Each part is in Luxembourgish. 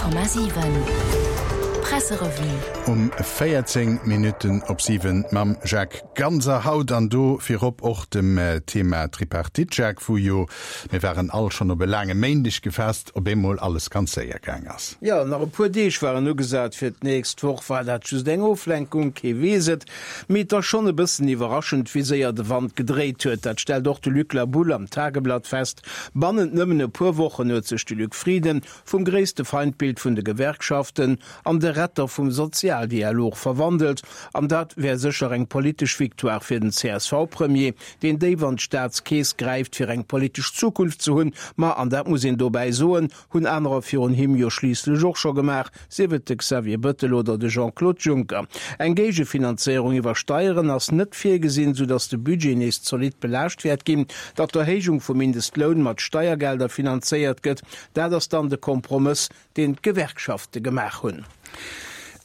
100,7 Presserevue. Um 14 Minutten op 7 mam Jacques Ganser haut an do virop och dem Thema Tripartite, Jacques, wou jo, mir waren all schonn op e laange Méindeg gefaasst, op eemol alles ganz séier gaang ass. Jo, nach e puer Deeg waren ugesat fir d'nächst Woch. War dat just eng Oflenkung? Kee weess et. Mee et ass schonn e bëssen iwwerraschend, wéi séier de Wand gedréit huet. Dat stellt och de Luc Laboulle am Tageblatt fest. Bannent nëmmen e puer Wochen huet sech de Luc Frieden vum gréisste Feindbild vun de Gewerkschaften an de Retter vum Sozialdialog verwandelt. An dat wär sécher eng politesch Victoire fir den CSV-Premier, deen déif an d'Staatskeess gräift, fir eng politesch Zukunft ze hunn. Ma, an dat muss een dobäi soen, hunn anerer virun him jo schliisslech och scho gemaach, sief et de Xavier Bëttel oder de Jean-Claude Juncker. Eng Géigefinanzéierung iwwer Steieren ass net virgesinn, soudatt de Budget nees zolidd belaascht wäert ginn. Datt d'Erhéijung vum Mindestloun mat Steiergelder finanzéiert gëtt, dat ass dann de Kompromëss, deen d'Gewerkschafte gemaach hunn.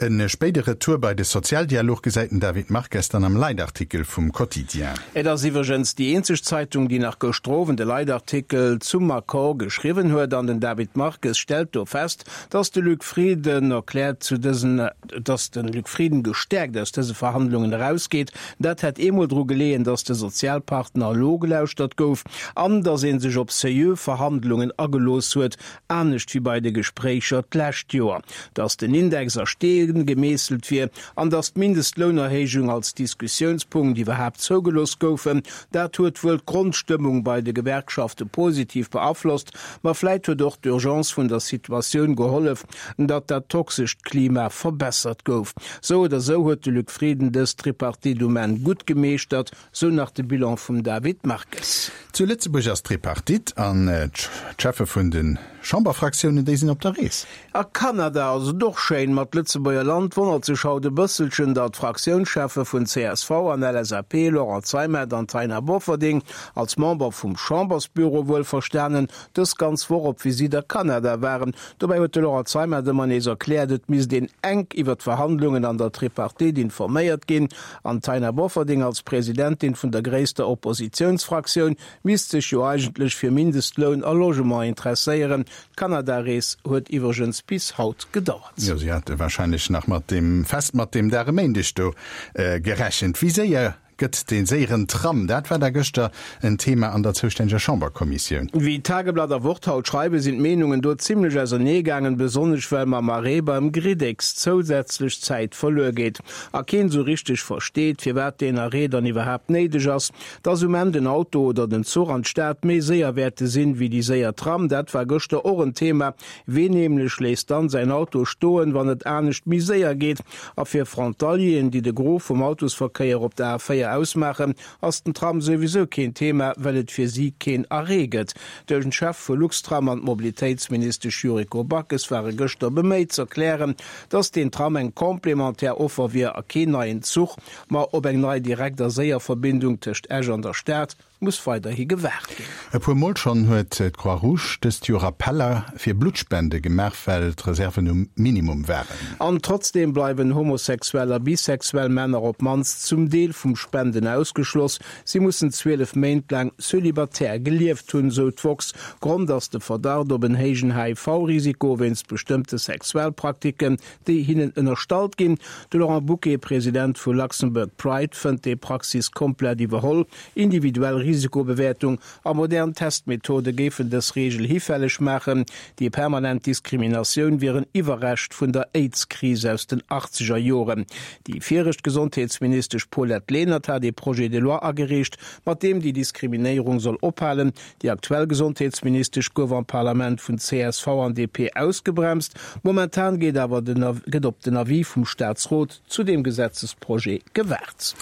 E spéide Retour bei de Sozialdialog gesäit den David Marques dann am Leitartikel vum Quotidien. Et ass iwwregens déi eenzeg Zeitung, déi nach gëschter Owend e Leitartikel zum Accord geschriwwen huet. An den David Marques stellt do fest, datt de Luc Frieden erkläert zu dësen, datt de Luc Frieden gestäerkt aus dëse Verhandlungen erausgeet. Dat hätt eemol dru geleeën, datt de Sozialpartner elo gelauschtert gouf an datt ee sech op seriö Verhandlungen agelooss huet, anescht wéi bei de Gespréicher d'lescht Joer, datt den Index a Steen gemeesselt wier an datt d'Mindestlounerhéijung als Diskussiounspunkt iwwerhaapt zougelooss goufen. Dat huet wuel d'Grondstëmmung bei de Gewerkschafte positiv beaflosst, ma vläit huet och d'Urgence vun der Situatioun gehollef, datt dat toxescht Klima verbessert gouf. Sou oder sou huet de Luc Frieden dës Tripartite um Enn gutt gemeeschtert, Sou nach de Bilan vum David Marques. Zu Lëtzebuerg ass d'Tripartite an d'Cheffe vun de Chamberfraktiounen, déi sinn op der Rees. A Kanada ass et och schéin, ma d'Lëtzebuerger Land wonnert sech haut e bësselchen, datt d'Fraktiounscheffe vun csv an LSAP, Laurent Zeimet an Taina Bofferding, als Member vum Chambersbüro wuelverstanen, dës ganz Woch op Visitt a Kanada waren. Dobäi huet de Laurent Zeimet ëmmer nees erkläert, et misst een enk iwwer d'Verhandlungen an der Tripartite informéiert ginn. An d'Taina Bofferding als Presidentin vun der gréisster Oppositiounsfraktioun misst sech jo eigentlech fir Mindestloun a Logement interesséieren. D'Kanada-Rees huet iwwregens bis haut gedauert. Jo, si hate warscheinlech nach mat deem fest mat deem Dag e Méindeg do gerechent. Wéi séier gëtt dee séieren Tram? Dat war da gëschter en Thema an der zoustänneger Chamberkommissioun. Wéi Tageblatt a Wort haut schreiwen, sinn d'Meenungen do zimmlech ausernee gaangen, besonnesch well mam Arrêt beim Griddex zousätzlech Zäit verluer geet. A keen esou richteg versteet, firwat deen Arrêt dann iwwerhaapt néideg ass. Dass um Enn den Auto oder den Zuch an d'Stad méi séier wäerte sinn, wéi déi séier Tram, dat war gëschter och en Thema. Ween nämlech léisst dann säin Auto stoen, wann et anescht méi séier geet? A fir Frontalieren, déi de Gros vum Autosverkéier op der A4 ausmaachen, ass den Tram souwisou keen Thema, well et fir si keen Arrêt gëtt. De Chef vu Luxtram an d'Mobilitéitsministesch Yuriko Backes ware gëschter beméit z'erklären, Dass deen Tram eng complémentaire Offer wier a keen neien Zuch, ma op eng nei direkt a séier Verbindung tëscht Esch an der Stad muss weiderhi gewaart ginn. E puer Mol schonn huet d'Croix Rouge dëst Joer Appeller fir Bluttspende gemaach, well d'Reserven um Minimum waren. An trotzdeem bleiwen homosexuell a bisexuell Männer op d'mannst zum Deel vum Spenden ausgeschloss. Si mussen 12 Méint laang celibatär gelieft hunn, sou d'woxx. Grond ass de Verdacht op en héijen HIV-Risiko wéinst bestëmmte Sexualpraktiken, déi hinnen ënnerstallt ginn. De Laurent Bouquet, President vu Luxembourg Pride, fënnt déi Praxis komplett iwwerholl. Individuell Risikobewäertung a modern Testmethode géifen dës Reegel hifälleg maachen. Déi permanent Diskriminatioun wier en Iwwerrescht vun der Aids-Kris aus den achtzeger Joren. Déi viregt Gesondheetsministesch Paulette Lenert hat ee Projet de loi agereecht, mat deem déi Diskriminéierung soll ophalen. Déi aktuell Gesondheetsministesch gouf am Parlament vun csv an DP ausgebremst. Momentan geet awer den gëtt op den Avis vum Staatsrot zu deem Gesetzesprojet gewaart.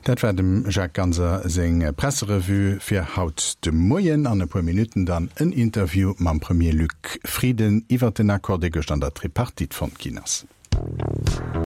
Dat war dem Jacques Ganser seng Presserevue fir haut de Moien. An e puer Minutten dann en Interview mam Premier Luc Frieden iwwert den Accord, dee gëscht an der Tripartite fonnt ginn ass.